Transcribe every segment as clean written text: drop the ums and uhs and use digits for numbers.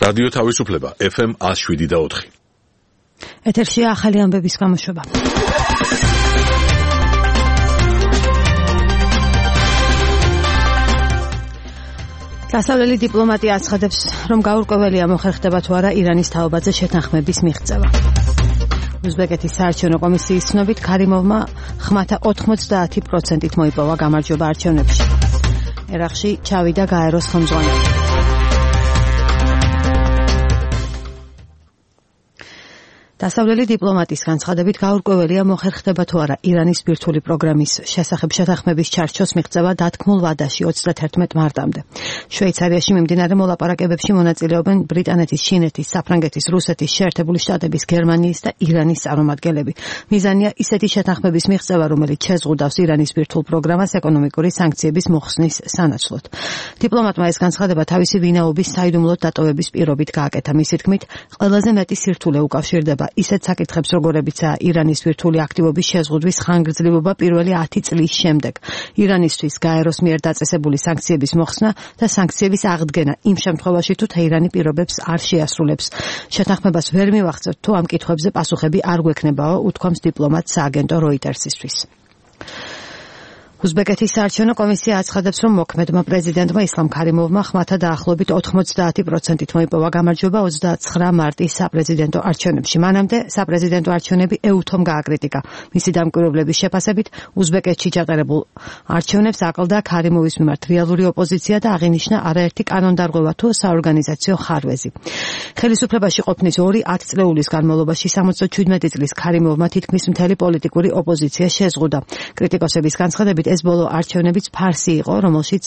რადიო თავისუფლება FM 107.4. ეთერში ახალი ამბების გამოშვება. დასავლელი დიპლომატია აცხადებს, რომ გაურკვეველია მოხერხდება თუ არა ირანის თაობაზე შეთანხმების მიღწევა. უზბეკეთის საარჩევნო კომისიის ცნობით ქარიმოვმა ხმათა 90%-ით მოიპოვა გამარჯვება არჩევნებში. ერაყში ჩავიდა გაეროს ხელმძღვანელი. დასავლელი დიპლომატის განცხადებით გაურკვეველია მოხერხდება თუ არა ირანის ბირთვული პროგრამის შესახებ შეთანხმების ჩარჩოს მიღწევა დათქმულ ვადაში 31 მარტამდე. შვეიცარიაში მიმდინარე მოლაპარაკებებში მონაწილეობენ ბრიტანეთის, ჩინეთის, საფრანგეთის, რუსეთის, შეერთებული შტატების, გერმანიის და ირანის წარმომადგენლები. მიზანია ისეთი შეთანხმების მიღწევა, რომელიც შეზღუდავს ირანის ბირთვულ პროგრამას ეკონომიკური სანქციების მოხსნის სანაცვლოდ. დიპლომატმა ეს განცხადება თავისი ვინაობის საიდუმლოდ დატოვების პირობით გააკეთა. მისი თქმით, ყველაზე მეტი სირთულე უკავშირდება ისეთ საკითხებს, როგორებიცაა ირანის ბირთვული აქტივობის შეზღუდვის ხანგრძლივობა პირველი 10 წლის შემდეგ, ირანისთვის გაეროს მიერ დაწესებული სანქციების მოხსნა და სანქციების აღდგენა იმ შემთხვევაში, თუ თეირანი პირობებს არ შეასრულებს. შეთანხმებას ვერ მივახცევთ, თუ ამ კითხვებზე პასუხები არ გვექნებაო, უთქვამს დიპლომატს სააგენტო როიტერსისთვის. უზბეკეთის საარჩევნო კომისია აცხადებს, რომ მოქმედმა პრეზიდენტმა ისლამ ქარიმოვმა ხმათა დაახლოებით 90%-ით მოიპოვა გამარჯვება 29 მარტის საპრეზიდენტო არჩევნებში. მანამდე საპრეზიდენტო არჩევნები EUTHOM გააკრიტიკა. მისი დამკვირვებლების შეფასებით, უზბეკეთში ჩატარებულ არჩევნებს აკლდა ქარიმოვის მიმართ რეალური ოპოზიცია და აღინიშნა არაერთი კანონდარღვევა თუ საორგანიზაციო ხარვეზი. ხელისუფლებაში ყოფნის 2-10 წლეულის განმავლობაში 77 წლის ქარიმოვმა თითქმის მთელი პოლიტიკური ოპოზიცია შეზღუდა. კრიტიკოსების განცხადებით, ეს ბოლო არჩევნებიც ფარსი იყო, რომელშიც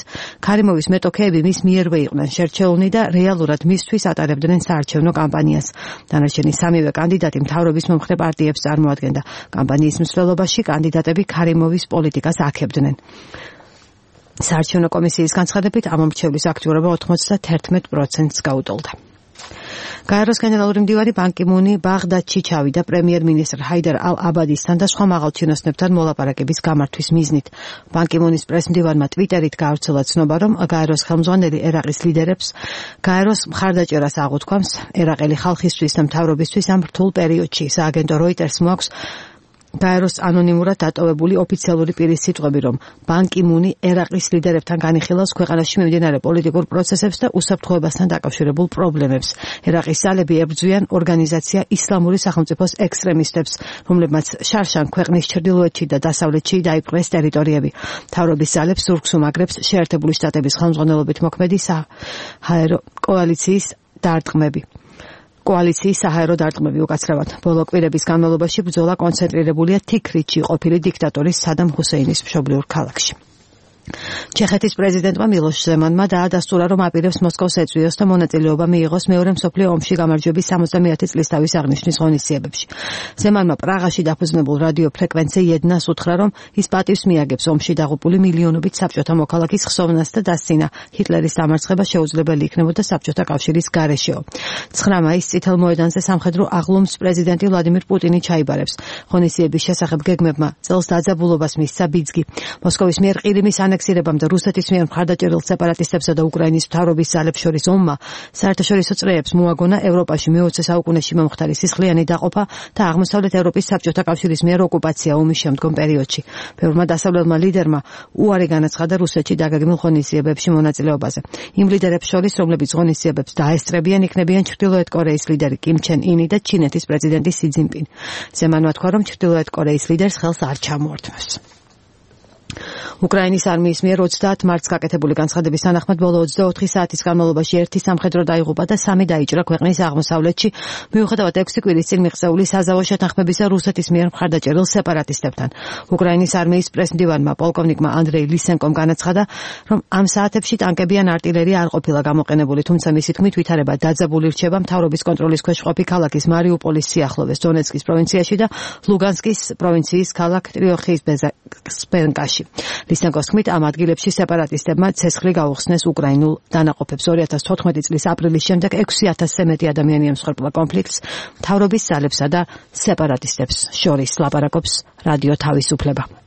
ქარიმოვის მეტოქეები მის მიერვე იყვნენ შერჩეულნი და რეალურად მისთვის ატარებდნენ საარჩევნო კამპანიას. დანარჩენი სამივე კანდიდატი მთავრობის მომხრე პარტიებს წარმოადგენდა. კამპანიის მსვლელობაში კანდიდატები ქარიმოვის პოლიტიკას აქებდნენ. საარჩევნო კომისიის განცხადებით, ამ მრჩევლის აქტიურობა 91%-ს გაუტოლდა. გაეროს გენერალური მდივანი ბან კი მუნი ბაღდადში ჩავიდა პრემიერ-მინისტრ ჰაიდარ ალ-აბადისთან და სხვა მაღალჩინოსნებთან მოლაპარაკების გამართვის მიზნით. ბან კი მუნის პრესმდივანმა ტვიტერით გაავრცელა ცნობა, რომ გაეროს ხელმძღვანელი ერაყის ლიდერებს გაეროს მხარდაჭერას აღუთქვამს ერაყელი ხალხისთვის და მთავრობისთვის ამ რთულ პერიოდში. სააგენტო როიტერს მოაქვს გაეროს ანონიმურად დატოვებული ოფიციალური პირის სიტყვები, რომ ბან კი მუნი ერაყის ლიდერებთან განიხილავს ქვეყანაში მიმდინარე პოლიტიკურ პროცესებს და უსაფრთხოებასთან დაკავშირებულ პრობლემებს. ერაყის ძალები ებრძვიან ორგანიზაცია ისლამური სახელმწიფოს ექსტრემისტებს, რომლებმაც შარშან ქვეყნის ჩრდილოეთში და დასავლეთში დაიპყრეს ტერიტორიები. მთავრობის ძალებს ზურგს უმაგრებს შეერთებული შტატების ხელმძღვანელობით მოქმედი საჰაერო კოალიციის დარტყმები. კოალიციის საჰაერო დარტყმები უკაცრავად. ბოლო კვირების განმავლობაში ბრძოლა კონცენტრირებულია თიქრითში ყოფილი დიქტატორის სადამ ჰუსეინის მშობლიურ ქალაქში. ჩეხეთის პრეზიდენტმა მილოშ ზემანმა დაადასტურა, რომ აპირებს მოსკოვს ეწვიოს და მონაწილეობა მიიღოს მეორე მსოფლიო ომში გამარჯვების 70 წლისთავის აღნიშვნის ღონისძიებებში. ზემანმა პრაღაში დაფუძნებულ რადიო ფრეკვენცე იედნას უთხრა, რომ ის პატივს მიაგებს ომში დაღუპული მილიონობით საბჭოთა მოქალაქის ხსოვნას და დასცინა. ჰიტლერის დამარცხება შეუძლებელი იქნებოდა საბჭოთა კავშირის გარეშეო. 9 მაისს წითელ მოედანზე სამხედრო აღლუმს პრეზიდენტი ვლადიმირ პუტინი ჩაიბარებს. ღონისძიების შესახებ გეგმებმა წელს დაძაბულობას მისცა ბიძგი. მოსკოვის მიერ ყირიმის ანექსირებამ და რუსეთის მიერ მხარდაჭერილ სეპარატისტებსა და უკრაინის მთავრობის ძალებს შორის ომმა საერთაშორისო წრეებს მოაგონა ევროპაში მე-20 საუკუნეში მომხდარი სისხლიანი დაყოფა და აღმოსავლეთ ევროპის საბჭოთა კავშირის მიერ ოკუპაცია ომის შემდგომ პერიოდში. ბევრმა დასავლელმა ლიდერმა უარი განაცხადა რუსეთში დაგეგმილ ღონისძიებებში მონაწილეობაზე. იმ ლიდერებს შორის, რომლებიც ღონისძიებებს დაესწრებიან, იქნებიან ჩრდილოეთ კორეის ლიდერი კიმ ჩენ ინი და ჩინეთის პრეზიდენტი სი ძინპინი. ზემანმა თქვა, რომ ჩრდილოეთ კორეის ლიდერს ხელს არ ჩამოართმევს. უკრაინის არმიის მიერ 30 მარტს გაკეთებული განცხადების თანახმად ბოლო 24 საათის განმავლობაში 1 სამხედრო დაიღუპა და 3 დაიჭრა ქვეყნის აღმოსავლეთში, მიუხედავად 6 კვირის წინ მიღწეული საზავო შეთანხმებისა რუსეთის მიერ მხარდაჭერილ სეპარატისტებთან. უკრაინის არმიის პრესმდივანმა პოლკოვნიკმა ანდრეი ლისენკომ განაცხადა, რომ ამ საათებში ტანკები ან არტილერია არ ყოფილა გამოყენებული, თუმცა მისი თქმით ვითარება დაძაბული რჩება მთავრობის კონტროლის ქვეშ ყოფი ქალაქის მარიუპოლის სიახლოვეს, დონეცკის პროვინციაში და ლუგანსკის პროვინციის ქალაქ ტრიოხის-ბეზენკაში. ლისენკოს თქმით, ამ ადგილებში სეპარატისტებმა ცეცხლი გაუხსნეს უკრაინულ დანაყოფებს. 2014 წლის აპრილის შემდეგ 6000-ზე მეტი ადამიანი ემსხვერპლა კონფლიქტს მთავრობის ძალებსა და სეპარატისტებს შორის. ლაპარაკობს რადიო თავისუფლება.